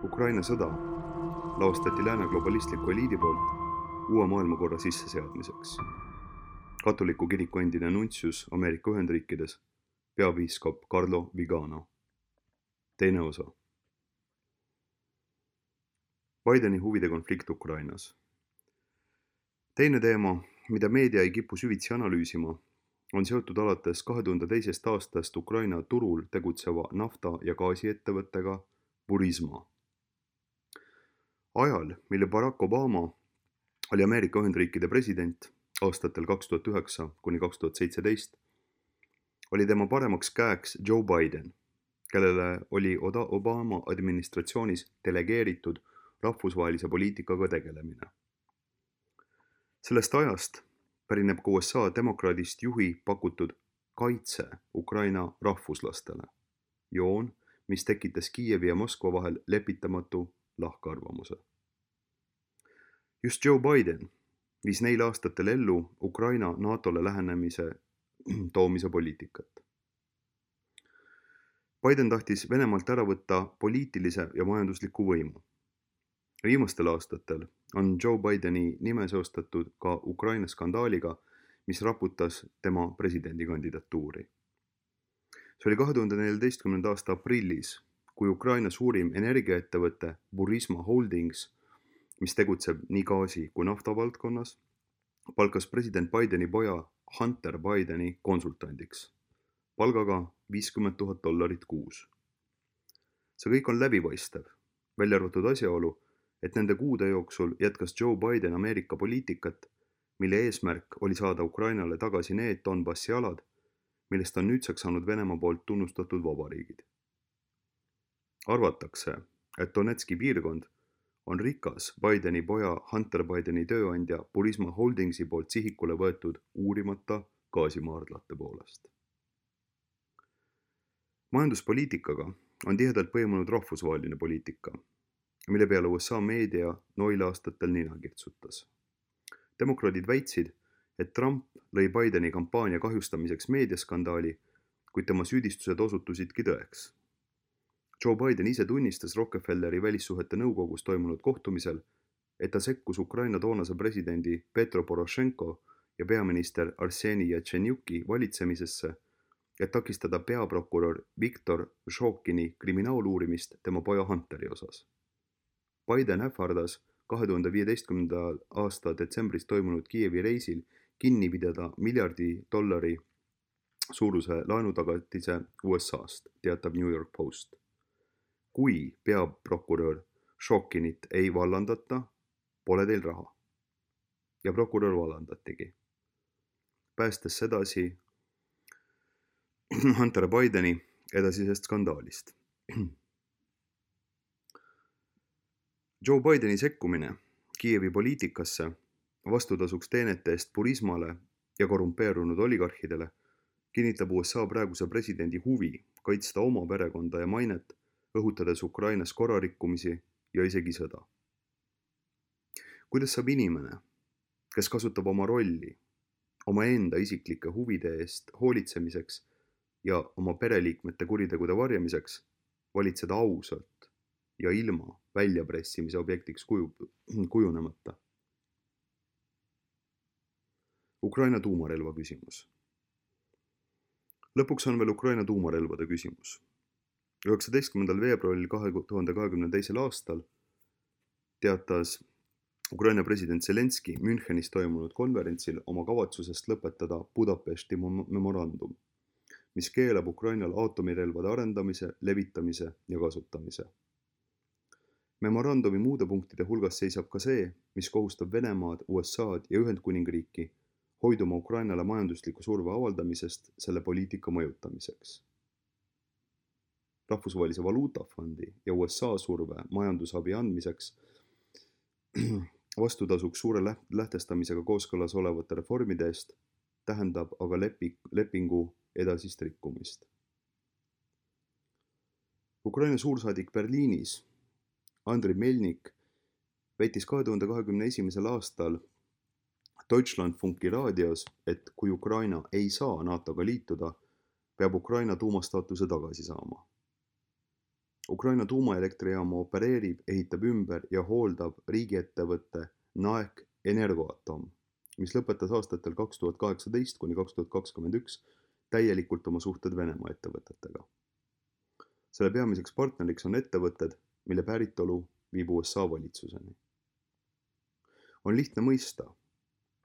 Ukraina sõda laostati lääne globalistliku eliidi poolt uue maailmakorra sisseseadmiseks. Katoliku kiriku endine nuntsius Ameerika Ühendriikides, peapiiskop Carlo Vigano. Teine osa. Bideni huvide konflikt Ukrainas. Teine teema, mida meedia ei kipu süvitsi analüüsima, on seotud alates 2002. aastast Ukraina turul tegutseva nafta- ja gaasiettevõttega Burisma. Ajal, mille Barack Obama oli Ameerika Ühendriikide president aastatel 2009 kuni 2017, oli tema paremaks käeks Joe Biden, kellele oli Obama administratsioonis delegeeritud rahvusvahelise poliitikaga tegelemine. Sellest ajast pärineb ka USA demokraadist juhi pakutud kaitse Ukraina rahvuslastele, joon, mis tekitas Kiievi ja Moskva vahel lepitamatu lahkarvamuse. Just Joe Biden viis neil aastatel ellu Ukraina NATOle lähenemise toomise poliitikat. Biden tahtis Venemaalt ära võtta poliitilise ja majandusliku võimu. Viimastel aastatel on Joe Bideni nime seostatud ka Ukraina skandaaliga, mis raputas tema presidendikandidatuuri. See oli 2014. aasta aprillis, kui Ukraina suurim energiaettevõte Burisma Holdings, mis tegutseb nii gaasi kui nafta valdkonnas, palkas president Bideni poja Hunter Bideni konsultandiks, palgaga $50,000 kuus. See kõik on läbipaistev, välja arvatud asjaolu, et nende kuude jooksul jätkas Joe Biden Ameerika poliitikat, mille eesmärk oli saada Ukrainale tagasi need Donbassi alad, millest on nüüdseks saanud Venemaa poolt tunnustatud vabariigid. Arvatakse, et Donetski piirkond on rikas Bideni poja Hunter Bideni tööandja Burisma Holdingsi poolt sihikule võetud uurimata gaasimaardlate poolest. Majanduspoliitikaga on tihedalt põimunud rahvusvaheline poliitika, mille peale USA meedia noil aastatel nina kirtsutas. Demokraadid väitsid, et Trump lõi Bideni kampaania kahjustamiseks meediaskandaali, kuid tema süüdistused osutusidki tõeks. Joe Biden ise tunnistas Rockefelleri välissuhete nõukogus toimunud kohtumisel, et ta sekkus Ukraina toonase presidendi Petro Poroshenko ja peaminister Arseni Yatsenyuki valitsemisesse, et takistada peaprokurör Viktor Šokini kriminaaluurimist tema poja Hunteri osas. Biden ähvardas 2015. aasta detsembris toimunud Kiievi reisil kinni pidada $1 miljardit suuruse laenutagatise USA'st, teatab New York Post. Kui peaprokurör Šokinit ei vallandata, pole teil raha. Ja prokurör vallandatigi, päästes sedasi Hunter Bideni edasisest skandaalist. Joe Bideni sekkumine Kiievi poliitikasse vastutasuks teenete eest Burismale ja korrumpeerunud oligarhidele kinnitab USA praeguse presidendi huvi kaitsta oma perekonda ja mainet, õhutades Ukrainas korrarikkumisi ja isegi sõda. Kuidas saab inimene, kes kasutab oma rolli oma enda isiklike huvide eest hoolitsemiseks ja oma pereliikmete kuritegude varjamiseks, valitseda ausalt ja ilma väljapressimise objektiks kujunemata? Ukraina tuumarelva küsimus. Lõpuks on veel Ukraina tuumarelvade küsimus. 19. veebruaril 2022. aastal teatas Ukraina president Zelenski Münchenis toimunud konverentsil oma kavatsusest lõpetada Budapesti memorandum, mis keelab Ukrainal aatomirelvade arendamise, levitamise ja kasutamise. Memorandumi muude punktide hulgas seisab ka see, mis kohustab Venemaad, USA'd ja Ühendkuningriiki hoiduma Ukrainale majandusliku surve avaldamisest selle poliitika mõjutamiseks. Rahvusvahelise valuutafondi ja USA surve majandusabi andmiseks vastutasuks suure lähtestamisega kooskõlas olevate reformide eest tähendab aga lepingu edasist rikkumist. Ukraina suursaadik Berliinis Andriy Melnik väitis 2021. aastal Deutschlandfunki raadios, et kui Ukraina ei saa NATOga liituda, peab Ukraina tuumastaatuse tagasi saama. Ukraina tuumaelektrijaama opereerib, ehitab ümber ja hooldab riigiettevõtte NAEK Energoatom, mis lõpetas aastatel 2018 kuni 2021 täielikult oma suhted Venemaa ettevõtetega. Selle peamiseks partneriks on ettevõtted, mille päritolu viib USA valitsuseni. On lihtne mõista,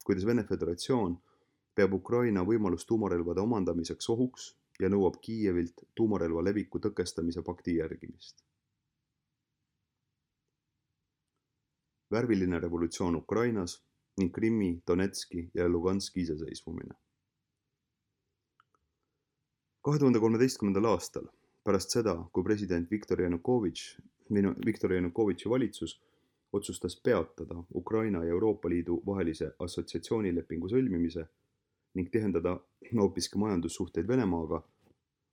kuidas Vene Föderatsioon peab Ukraina võimalust tuumarelvade omandamiseks ohuks ja nõuab Kiievilt tuumarelva leviku tõkestamise pakti järgimist. Värviline revolutsioon Ukrainas ning Krimmi, Donetski ja Luganski iseseisvumine. 2013. aastal, pärast seda, kui president Viktor Janukovitši valitsus otsustas peatada Ukraina ja Euroopa Liidu vahelise assotsiatsioonilepingu sõlmimise ning tihendada hoopiski majandussuhteid Venemaaga,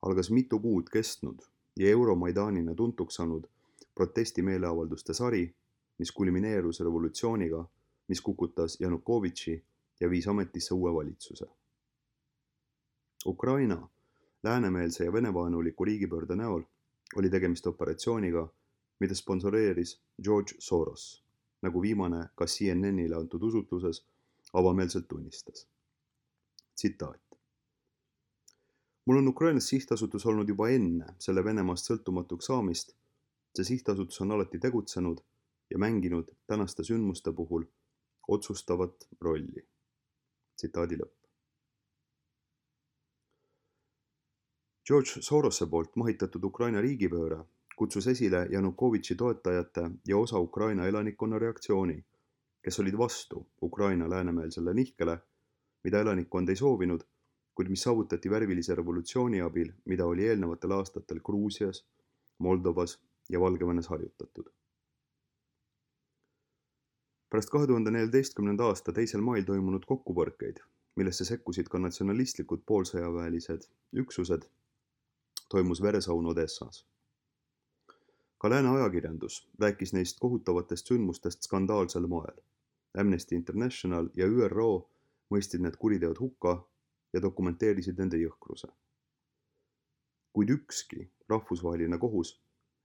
algas mitu kuud kestnud ja Euromaidanina tuntuks saanud protestimeeleavalduste sari, mis kulmineerus revolutsiooniga, mis kukutas Janukovitši ja viis ametisse uue valitsuse. Ukraina läänemeelse ja venevaenuliku riigipöörde näol oli tegemist operatsiooniga, mida sponsoreeris George Soros, nagu viimane ka CNNile antud usutluses avameelselt tunnistas. Tsitaat. Mul on Ukrainas sihtasutus olnud juba enne selle Venemaast sõltumatuks saamist. See sihtasutus on alati tegutsenud ja mänginud tänaste sündmuste puhul otsustavat rolli. Tsitaadi lõpp. George Sorose poolt mahitatud Ukraina riigipööre kutsus esile Janukovitši toetajate ja osa Ukraina elanikkonna reaktsiooni, kes olid vastu Ukraina läänemeelsele nihkele, mida elanikkond ei soovinud, kuid mis saavutati värvilise revolutsiooni abil, mida oli eelnevatel aastatel Gruusias, Moldovas ja Valgevenes harjutatud. Pärast 2014. aasta 2. mail toimunud kokkupõrkeid, millesse sekkusid ka natsionalistlikud poolsõjaväelised üksused, toimus veresaun Odessas. Ka lääne ajakirjandus rääkis neist kohutavatest sündmustest skandaalsel moel. Amnesty International ja ÜRO mõistsid need kuriteod hukka ja dokumenteerisid nende jõhkruse. Kuid ükski rahvusvaheline kohus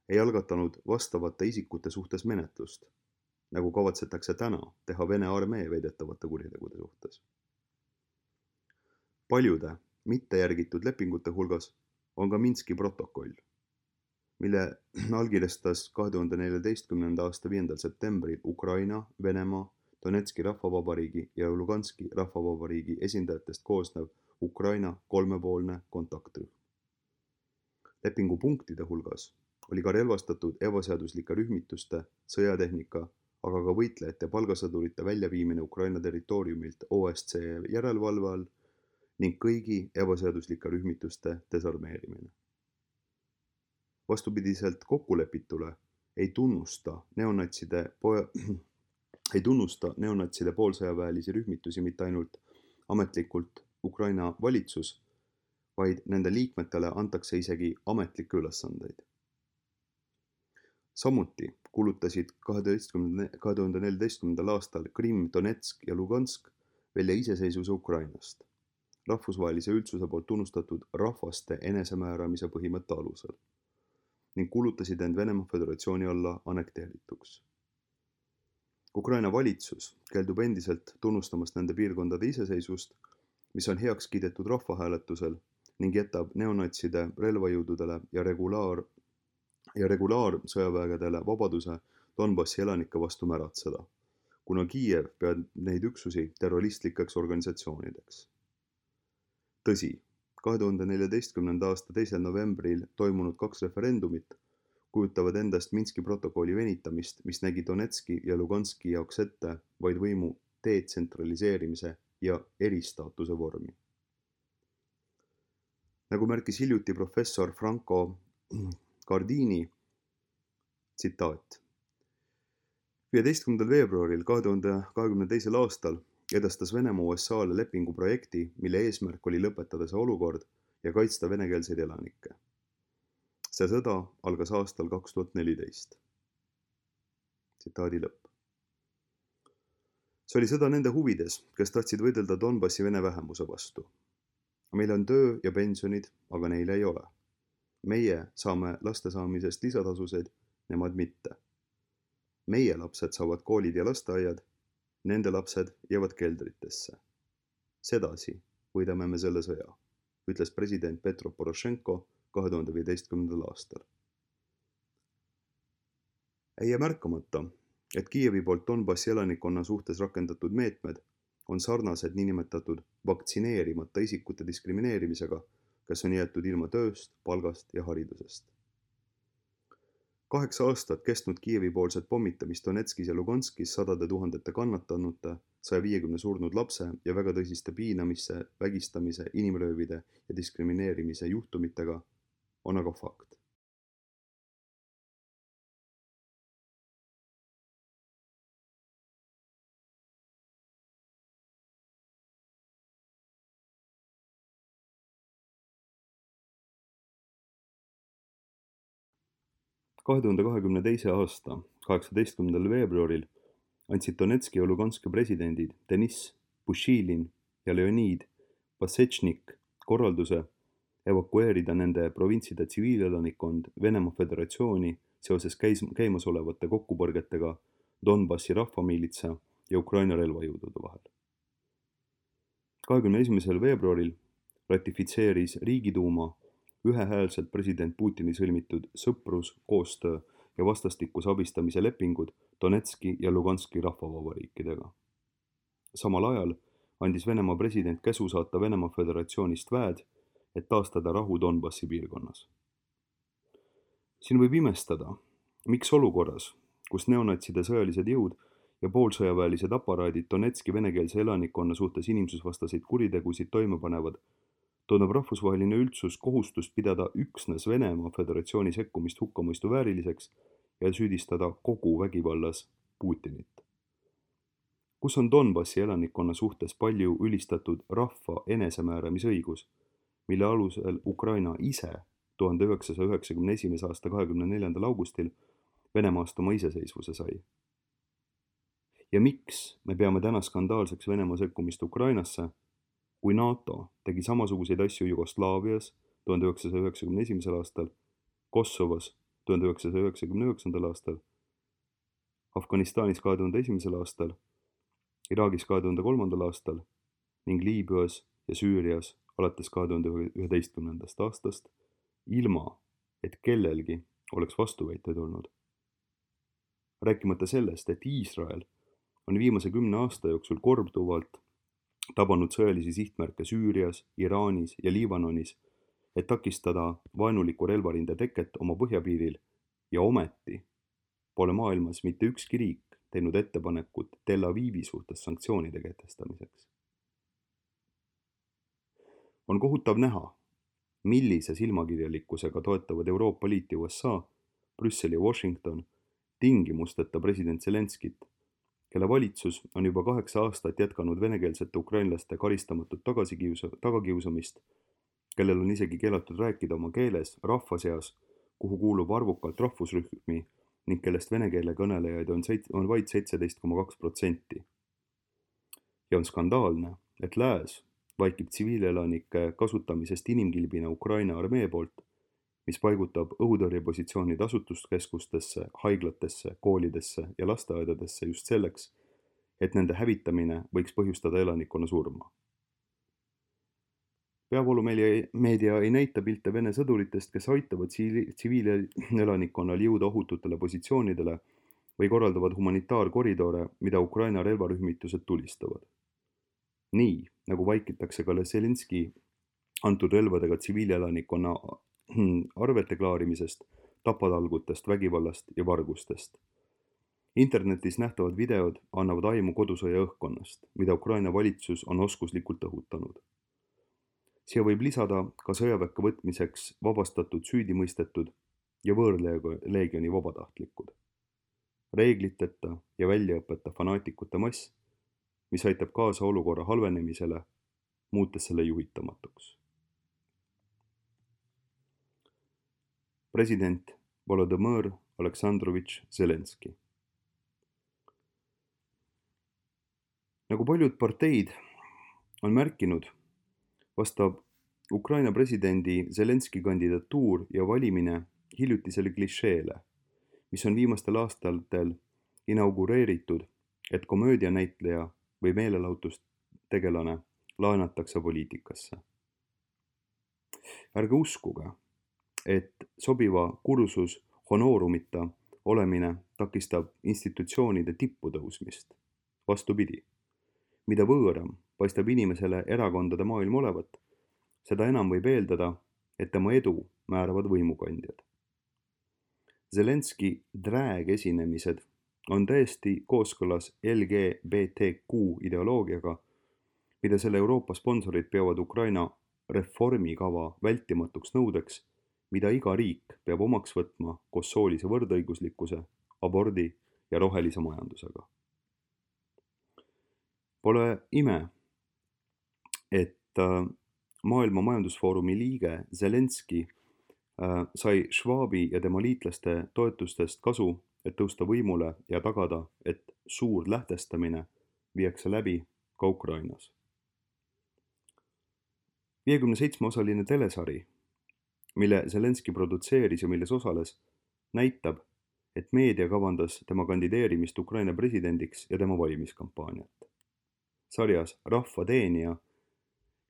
ei algatanud vastavate isikute suhtes menetlust, nagu kavatsetakse täna teha Vene armee väidetavate kuritegude suhtes. Paljude mitte järgitud lepingute hulgas on ka Minski protokoll, mille allkirjastas 2014. aasta 5. septembril Ukraina, Venemaa, Donetski rahvavabariigi ja Luganski rahvavabariigi esindajatest koosnev Ukraina kolmepoolne kontaktrühm. Lepingu punktide hulgas oli ka relvastatud ebaseaduslike rühmituste, sõjatehnika, aga ka võitlejate palgasõdurite väljaviimine Ukraina territooriumilt OSCE järelevalve all ning kõigi ebaseaduslike rühmituste desarmeerimine. Vastupidiselt kokkulepitule ei tunnusta neonatside poolsõjaväelisi rühmitusi mitte ainult ametlikult Ukraina valitsus, vaid nende liikmetele antakse isegi ametlikke ülesandeid. Samuti kuulutasid 2014. aastal Krimm, Donetsk ja Lugansk välja iseseisvuse Ukrainast, rahvusvahelise üldsuse poolt tunnustatud rahvaste enesemääramise põhimõtte alusel, ning kuulutasid end Venemaa Föderatsiooni alla annekteerituks. Ukraina valitsus keeldub endiselt tunnustamast nende piirkondade iseseisvust, mis on heaks kiidetud rahvahääletusel ning jätab neonatside relvajõududele ja regulaarsõjavägedele vabaduse Donbassi elanike vastu märatseda, kuna Kiiev peab neid üksusi terroristlikeks organisatsioonideks. Tõsi, 2014. aasta 2. novembril toimunud 2 referendumit kujutavad endast Minski protokolli venitamist, mis nägi Donetski ja Luganski jaoks ette vaid võimu detsentraliseerimise ja eristaatuse vormi. Nagu märkis hiljuti professor Franco Gardini, tsitaat. 15. veebruaril 2022. aastal edastas Venemaa USA-le lepingu projekti, mille eesmärk oli lõpetada see olukord ja kaitsta venekeelseid elanikke. See sõda algas aastal 2014. Tsitaadi lõpp. See oli sõda nende huvides, kes tahtsid võidelda Donbassi vene vähemuse vastu. Meil on töö ja pensionid, aga neil ei ole. Meie saame laste saamisest lisatasusid, nemad mitte. Meie lapsed saavad koolid ja lasteaiad, nende lapsed jäävad keldritesse. Sedasi võidame me selle sõja, ütles president Petro Porošenko 2015. aastal. Ei jää märkamata, et Kiievi poolt Donbassi elanikkonna suhtes rakendatud meetmed on sarnased niinimetatud vaktsineerimata isikute diskrimineerimisega, kes on jäetud ilma tööst, palgast ja haridusest. 8 aastat kestnud Kiievi poolset pommitamist Donetskis ja Luganskis 100 000 kannatanute, 150 surnud lapse ja väga tõsiste piinamise, vägistamise, inimröövide ja diskrimineerimise juhtumitega on aga fakt. Kahe 2022. aasta 18. veebruaril andsid Donetski ja Luganski presidendid Deniss Pušilin ja Leonid Pasečnik korralduse evakueerida nende provintside tsiviilelanikkond Venemaa Föderatsiooni seoses käimasolevate kokkupõrgetega Donbassi rahvamiilitsa ja Ukraina relvajõudude vahel. 21. veebruaril ratifitseeris Riigiduuma ühehäälselt president Putini sõlmitud sõprus, koostöö ja vastastikuse abistamise lepingud Donetski ja Luganski rahvavabariikidega. Samal ajal andis Venemaa president käsu saata Venemaa Föderatsioonist väed, et taastada rahu Donbassi piirkonnas. Siin võib imestada, miks olukorras, kus neonatside sõjalised jõud ja poolsõjaväelised aparaadid Donetski venekeelse elanikkonna suhtes inimsusvastaseid kuritegusid toime panevad, tunneb rahvusvaheline üldsus kohustust pidada üksnes Venemaa Föderatsiooni sekkumist hukkamõistu vääriliseks ja süüdistada kogu vägivallas Putinit. Kus on Donbassi elanikkonna suhtes palju ülistatud rahva enesemääramisõigus, mille alusel Ukraina ise 1991. aasta 24. augustil Venemaast oma iseseisvuse sai? Ja miks me peame täna skandaalseks Venemaa sekkumist Ukrainasse, kui NATO tegi samasuguseid asju Jugoslaavias 1991. aastal, Kosovos 1999. aastal, Afganistanis 2001. aastal, Iraagis 2003. aastal ning Liibüas ja Süürias alates 2011. aastast, ilma et kellelgi oleks vastuväiteid olnud. Rääkimata sellest, et Iisrael on viimase 10 aasta jooksul korduvalt tabanud sõjalisi sihtmärke Süürias, Iraanis ja Liibanonis, et takistada vaenuliku relvarinde teket oma põhjapiiril ja ometi pole maailmas mitte ükski riik teinud ettepanekut Tel Avivi suhtes sanktsioonide kehtestamiseks. On kohutav näha, millise silmakirjalikkusega toetavad Euroopa Liit ja USA, Brüssel ja Washington tingimusteta president Zelenskit, kelle valitsus on juba 8 aastat jätkanud venekeelsete ukrainlaste karistamatut tagakiusamist, kellel on isegi keelatud rääkida oma keeles rahva seas, kuhu kuulub arvukalt rahvusrühmi ning kellest vene keele kõnelejaid on vaid 17,2%. Ja on skandaalne, et lääs vaikib tsiviilelanike kasutamisest inimkilbina Ukraina armee poolt, mis paigutab õhutõrjepositsioonid asustuskeskustesse, haiglatesse, koolidesse ja lasteaedadesse just selleks, et nende hävitamine võiks põhjustada elanikkonna surma. Peavoolumeedia ei näita pilte Vene sõduritest, kes aitavad tsiviilelanikkonnal jõuda ohututele positsioonidele või korraldavad humanitaarkoridore, mida Ukraina relvarühmitused tulistavad. Nii, nagu vaikitakse ka Zelenski antud relvadega tsiviilelanikkonna arvete klaarimisest, tapatalgutest, vägivallast ja vargustest. Internetis nähtavad videod annavad aimu kodusõja õhkkonnast, mida Ukraina valitsus on oskuslikult õhutanud. Siia võib lisada ka sõjaväkke võtmiseks vabastatud süüdimõistetud ja võõrleegioni vabatahtlikud. Reegliteta ja väljaõpeta fanaatikute mass, mis aitab kaasa olukorra halvenemisele, muutes selle juhitamatuks. President Volodõmõr Aleksandrovitš Zelenski. Nagu paljud parteid on märkinud, vastab Ukraina presidendi Zelenski kandidatuur ja valimine hiljutisele klišeele, mis on viimastel aastatel inaugureeritud, et komöödianäitleja või meelelahutustegelane laenatakse poliitikasse. Ärge uskuge, et sobiva kursus honoorumita olemine takistab institutsioonide tippu tõusmist. Vastupidi, mida võõram paistab inimesele erakondade maailm olevat, seda enam võib eeldada, et tema edu määravad võimukandjad. Zelenski drag-esinemised on täiesti kooskõlas LGBTQ ideoloogiaga, mida selle Euroopa sponsorid peavad Ukraina reformikava vältimatuks nõudeks, mida iga riik peab omaks võtma koos soolise võrdõiguslikkuse, abordi ja rohelise majandusega. Pole ime, et Maailma Majandusfoorumi liige Zelenski sai Schwabi ja tema liitlaste toetustest kasu, et tõusta võimule ja tagada, et suur lähtestamine viiakse läbi ka Ukrainas. 57-osaline telesari, mille Zelenski produtseeris ja milles osales, näitab, et meedia kavandas tema kandideerimist Ukraina presidendiks ja tema valimiskampaaniat. Sarjas Rahva teenija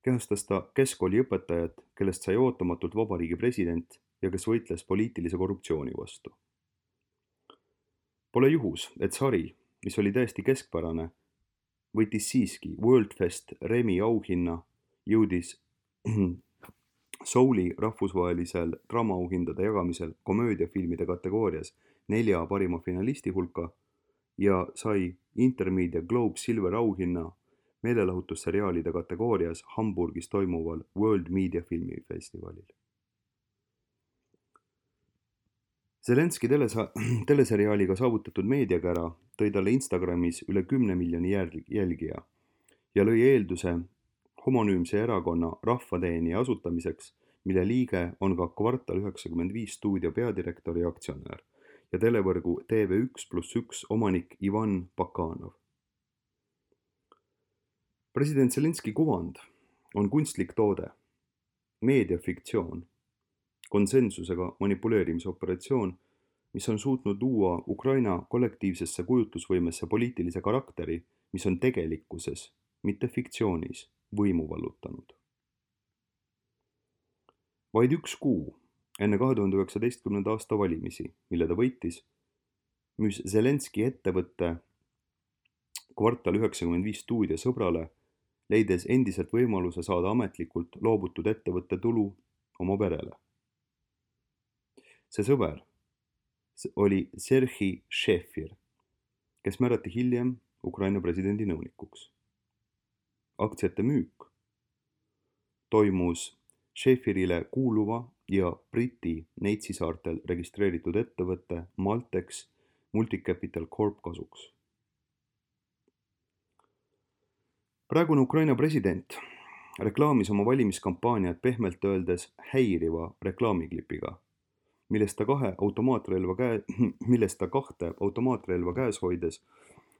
kehastas ta keskkooliõpetajat, kellest sai ootamatult vabariigi president ja kes võitles poliitilise korruptsiooni vastu. Pole juhus, et sari, mis oli täiesti keskpärane, võitis siiski Worldfest Remi auhinna, jõudis Souli rahvusvahelisel draamaauhindade jagamisel komöödiafilmide kategoorias 4 parima finalisti hulka ja sai Intermedia Globe Silver auhinna meelelahutusseriaalide kategoorias Hamburgis toimuval World Media Filmifestivalil. Zelenski teleseriaaliga saavutatud meediakära tõi talle Instagramis üle 10 miljoni jälgija ja lõi eelduse homonüümse erakonna Rahvateenija asutamiseks, mille liige on ka Kvartal 95 stuudio peadirektor ja aktsionär ja televõrgu TV1+1 omanik Ivan Bakanov. President Zelenski kuvand on kunstlik toode, meediafiktsioon, konsensusega manipuleerimise operatsioon, mis on suutnud luua Ukraina kollektiivsesse kujutlusvõimesse poliitilise karakteri, mis on tegelikkuses, mitte fiktsioonis, võimu vallutanud. Vaid 1 kuu enne 2019. aasta valimisi, mille ta võitis, müüs Zelenski ettevõtte Kvartal 95 stuudio sõbrale, leides endiselt võimaluse saada ametlikult loobutud ettevõtte tulu oma perele. See sõber oli Serhii Šefir, kes määrati hiljem Ukraina presidendi nõunikuks. Aktsiate müük toimus Šefirile kuuluva ja Briti Neitsi saartel registreeritud ettevõtte Maltex Multicapital Corp kasuks. Praegune Ukraina president reklaamis oma valimiskampaaniat pehmelt öeldes häiriva reklaamiklipiga, millest ta 2 automaatrelva käes hoides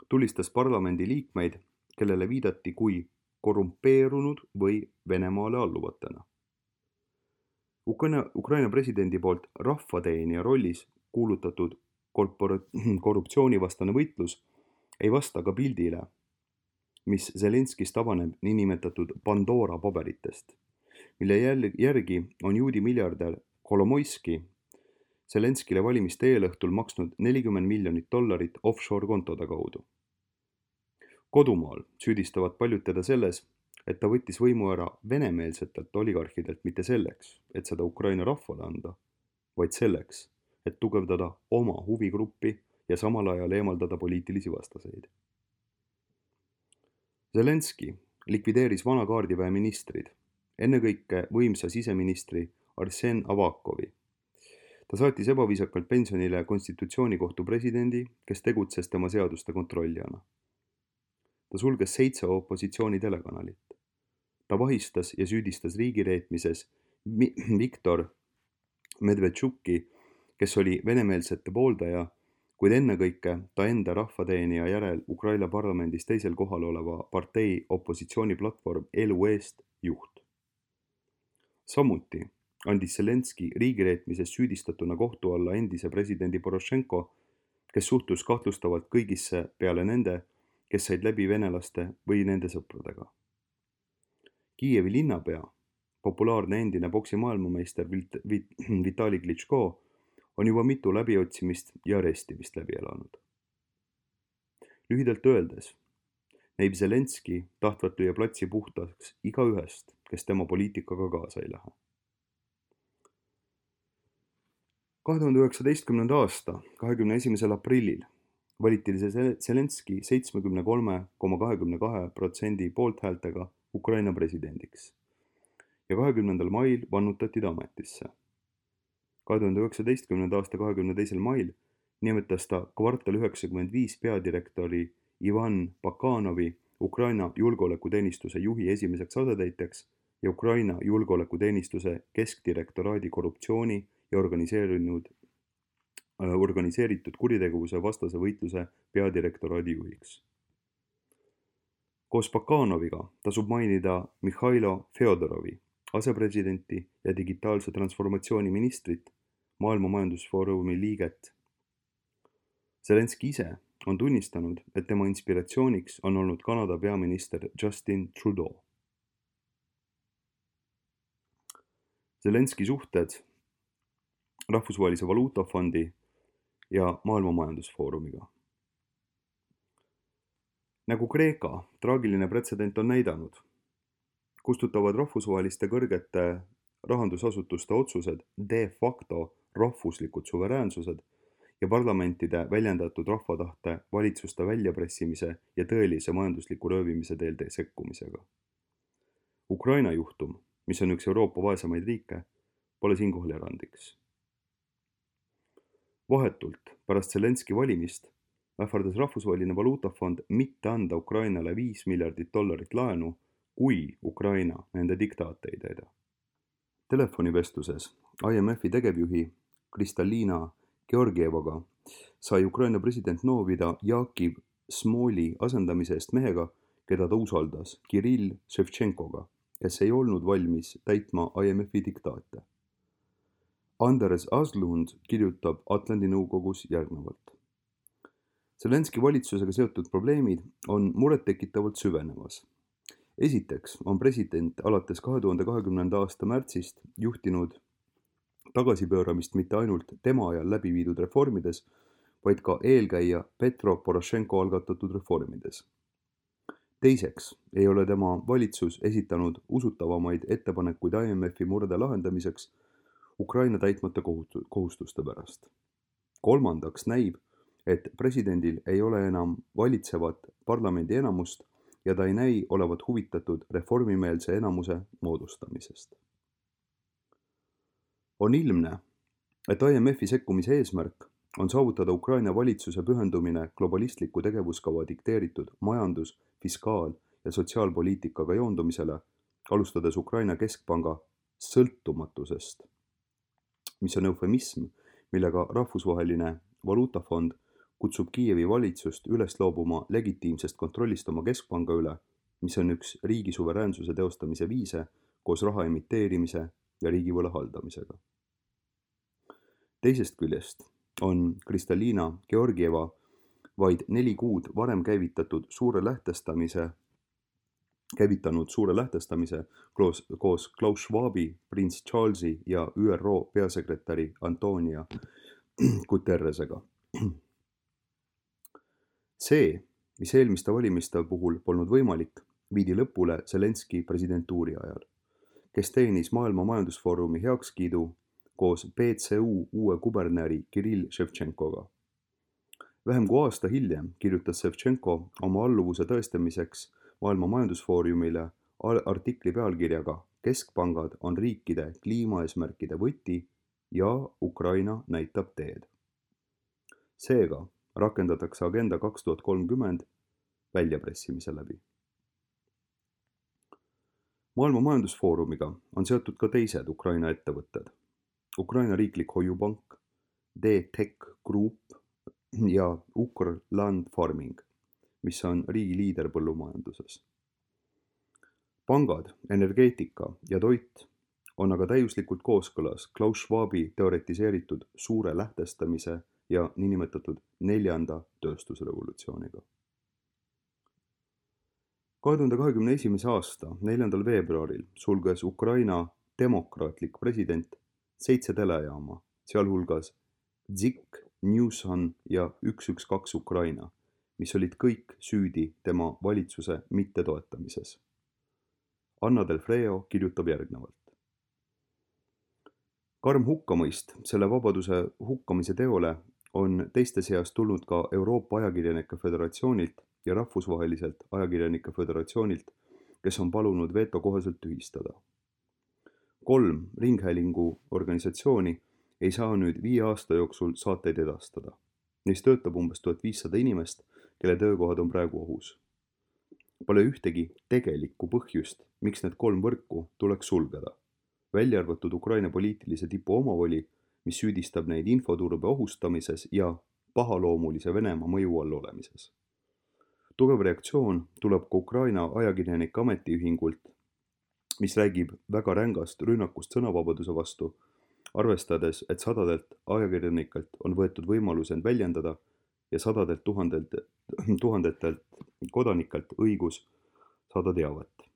tulistas parlamendi liikmeid, kellele viidati kui korrumpeerunud või Venemaale alluvatena. Ukraina presidendi poolt rahvateenija rollis kuulutatud korruptsioonivastane võitlus ei vasta ka pildile, mis Zelenskist avaneb niinimetatud Pandora paberitest, mille järgi on juudi miljardär Kolomoiski Zelenskile valimiste eelõhtul maksnud $40 miljonit offshore kontode kaudu. Kodumaal süüdistavad paljud teda selles, et ta võttis võimu ära venemeelsetelt oligarhidelt mitte selleks, et seda Ukraina rahvale anda, vaid selleks, et tugevdada oma huvigruppi ja samal ajal eemaldada poliitilisi vastaseid. Zelenski likvideeris vana kaardiväe ministrid, ennekõike võimsa siseministri Arsen Avakovi. Ta saatis ebaviisakalt pensionile konstitutsioonikohtu presidendi, kes tegutses tema seaduste kontrollijana. Ta sulges 7 opositsiooni telekanalit. Ta vahistas ja süüdistas riigireetmises Viktor Medvedčuki, kes oli venemeelsete pooldaja, kuid ennekõike ta enda rahvateenija järel Ukraina parlamendis teisel kohal oleva partei opositsiooniplatvorm Elu eest juht. Samuti andis Zelenskõi riigireetmises süüdistatuna kohtu alla endise presidendi Porošenko, kes suhtus kahtlustavalt kõigisse peale nende, kes said läbi venelaste või nende sõpradega. Kiievi linnapea, populaarne endine poksi maailmameister Vitali Klitško on juba mitu läbiotsimist ja arestimist läbi elanud. Lühidalt öeldes näib Zelenskõi tahtvat lüüa platsi puhtaks igaühest, kes tema poliitikaga kaasa ei lähe. 2019. aasta 21. aprillil valiti Zelenskõi 73,22% poolthäältega Ukraina presidendiks ja 20. mail vannutati ta ametisse. 2019. aasta 22. mail nimetas ta kvartal 95 peadirektori Ivan Bakanovi Ukraina julgeolekuteenistuse juhi esimeseks asetäitjaks ja Ukraina julgeolekuteenistuse keskdirektoraadi korruptsiooni ja organiseeritud kuritegevuse vastase võitluse peadirektoraadi juhiks. Koos Bakanoviga tasub mainida Mihhailo Fjodorovi, asepresidenti ja digitaalse transformatsiooni ministrit, Maailma Majandusfoorumi liiget. Zelenskõi ise on tunnistanud, et tema inspiratsiooniks on olnud Kanada peaminister Justin Trudeau. Zelenskõi suhted Rahvusvahelise Valuutafondi ja Maailma Majandusfoorumiga. Nagu Kreeka traagiline pretsedent on näidanud, kustutavad rahvusvaheliste kõrgete rahandusasutuste otsused de facto rahvuslikud suveräänsused ja parlamentide väljendatud rahvatahte valitsuste väljapressimise ja tõelise majandusliku röövimise teel sekkumisega. Ukraina juhtum, mis on üks Euroopa vaesemaid riike, pole siinkohal erandiks. Vahetult pärast Zelenskõi valimist ähvardas Rahvusvaheline Valuutafond mitte anda Ukrainale $5 miljardit laenu, kui Ukraina nende diktaate ei täida. Telefonivestluses IMFi tegevjuhi Kristalina Georgievaga sai Ukraina president noovida Jakiv Smooli asendamise eest mehega, keda ta usaldas, Kirill Ševtšenkoga, kes ei olnud valmis täitma IMFi diktaate. Anders Aslund kirjutab Atlandi nõukogus järgnevalt. Zelenskõi valitsusega seotud probleemid on murettekitavalt süvenemas. Esiteks on president alates 2020. aasta märtsist juhtinud tagasipööramist mitte ainult tema ajal läbi viidud reformides, vaid ka eelkäija Petro Porošenko algatatud reformides. Teiseks ei ole tema valitsus esitanud usutavamaid ettepanekuid IMFi murde lahendamiseks Ukraina täitmata kohustuste pärast. Kolmandaks näib, et presidendil ei ole enam valitsevat parlamendi enamust ja ta ei näi olevat huvitatud reformimeelse enamuse moodustamisest. On ilmne, et IMFi sekkumise eesmärk on saavutada Ukraina valitsuse pühendumine globalistliku tegevuskava dikteeritud majandus-, fiskaal- ja sotsiaalpoliitikaga joondumisele, alustades Ukraina keskpanga sõltumatusest, mis on eufemism, millega Rahvusvaheline Valuutafond kutsub Kiievi valitsust üles loobuma legitiimsest kontrollist oma keskpanga üle, mis on üks riigi suveräänsuse teostamise viise koos raha emiteerimise ja riigivõla haldamisega. Teisest küljest on Kristalina Georgieva vaid 4 kuud varem käivitanud suure lähtestamise koos Klaus Schwabi, prints Charlesi ja ÜRO peasekretäri Antonio Guterresega. See, mis eelmiste valimiste puhul polnud võimalik, viidi lõpule Zelenskõi presidentuuri ajal, kes teenis Maailma Majandusfoorumi heakskiidu koos PCU uue kuberneri Kirill Ševtšenkoga. Vähem kui aasta hiljem kirjutas Ševtšenko oma alluvuse tõestamiseks Maailma Majandusfoorumile artikli pealkirjaga Keskpangad on riikide kliimaeesmärkide võti ja Ukraina näitab teed. Seega rakendatakse Agenda 2030 väljapressimise läbi. Maailma Majandusfoorumiga on seotud ka teised Ukraina ettevõtted. Ukraina riiklik hoiupank, D-Tech Group ja Ukr Land Farming, mis on riigi liider põllumajanduses. Pangad, energeetika ja toit on aga täiuslikult kooskõlas Klaus Schwabi teoretiseeritud suure lähtestamise ja niinimetatud 4. tööstusrevolutsiooniga. 2021. aasta 4. veebruaril sulges Ukraina demokraatlik president 7 telejaama, sealhulgas ZIK, Newson ja 112 Ukraina, mis olid kõik süüdi tema valitsuse mittetoetamises. Anna Del Freo kirjutab järgnevalt. Karm hukkamõist selle vabaduse hukkamise teole on teiste seas tulnud ka Euroopa Ajakirjanike Föderatsioonilt ja rahvusvaheliselt Ajakirjanike Föderatsioonilt, kes on palunud veto kohaselt tühistada. 3 ringhäälingu organisatsiooni ei saa nüüd 5 aasta jooksul saateid edastada. Neis töötab umbes 1500 inimest, kelle töökohad on praegu ohus. Pole ühtegi tegelikku põhjust, miks need 3 võrku tuleks sulgeda, välja arvatud Ukraina poliitilise tipu omavoli, mis süüdistab neid infoturbe ohustamises ja pahaloomulise Venemaa mõju all olemises. Tugev reaktsioon tuleb ka Ukraina ajakirjanike ametiühingult, mis räägib väga rängast rünnakust sõnavabaduse vastu, arvestades, et 100 ajakirjanikelt on võetud võimalus end väljendada ja 100 tuhandetelt kodanikelt õigus saada teavet.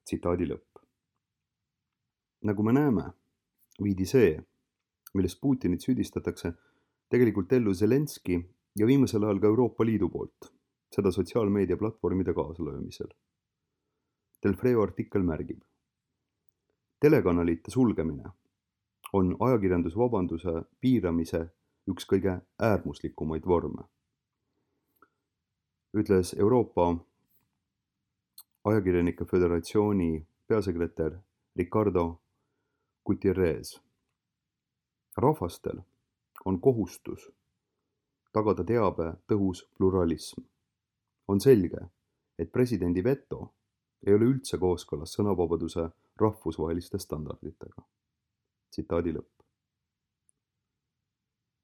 Tsitaadi lõpp. Nagu me näeme, viidi see, milles Putinit süüdistatakse, tegelikult ellu Zelenski ja viimasel ajal ka Euroopa Liidu poolt, seda sotsiaalmeedia platvormide kaasalöömisel. Del Freo artikkel märgib. Telekanalite sulgemine on ajakirjandusvabanduse piiramise üks kõige äärmuslikumaid vorme, ütles Euroopa Ajakirjanike Föderatsiooni peasekretär Ricardo Gutierrez. Rahvastel on kohustus tagada teabe tõhus pluralism. On selge, et presidendi veto ei ole üldse kooskõlas sõnavabaduse rahvusvaheliste standarditega. Tsitaadi lõpp.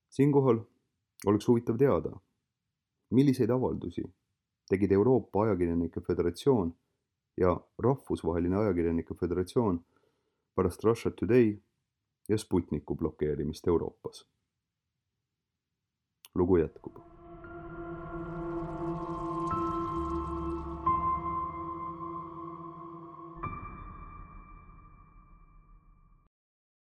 Siinkohal oleks huvitav teada, milliseid avaldusi tegid Euroopa Ajakirjanike Föderatsioon ja Rahvusvaheline Ajakirjanike Föderatsioon pärast Russia Today ja Sputniku blokeerimist Euroopas. Lugu jätkub.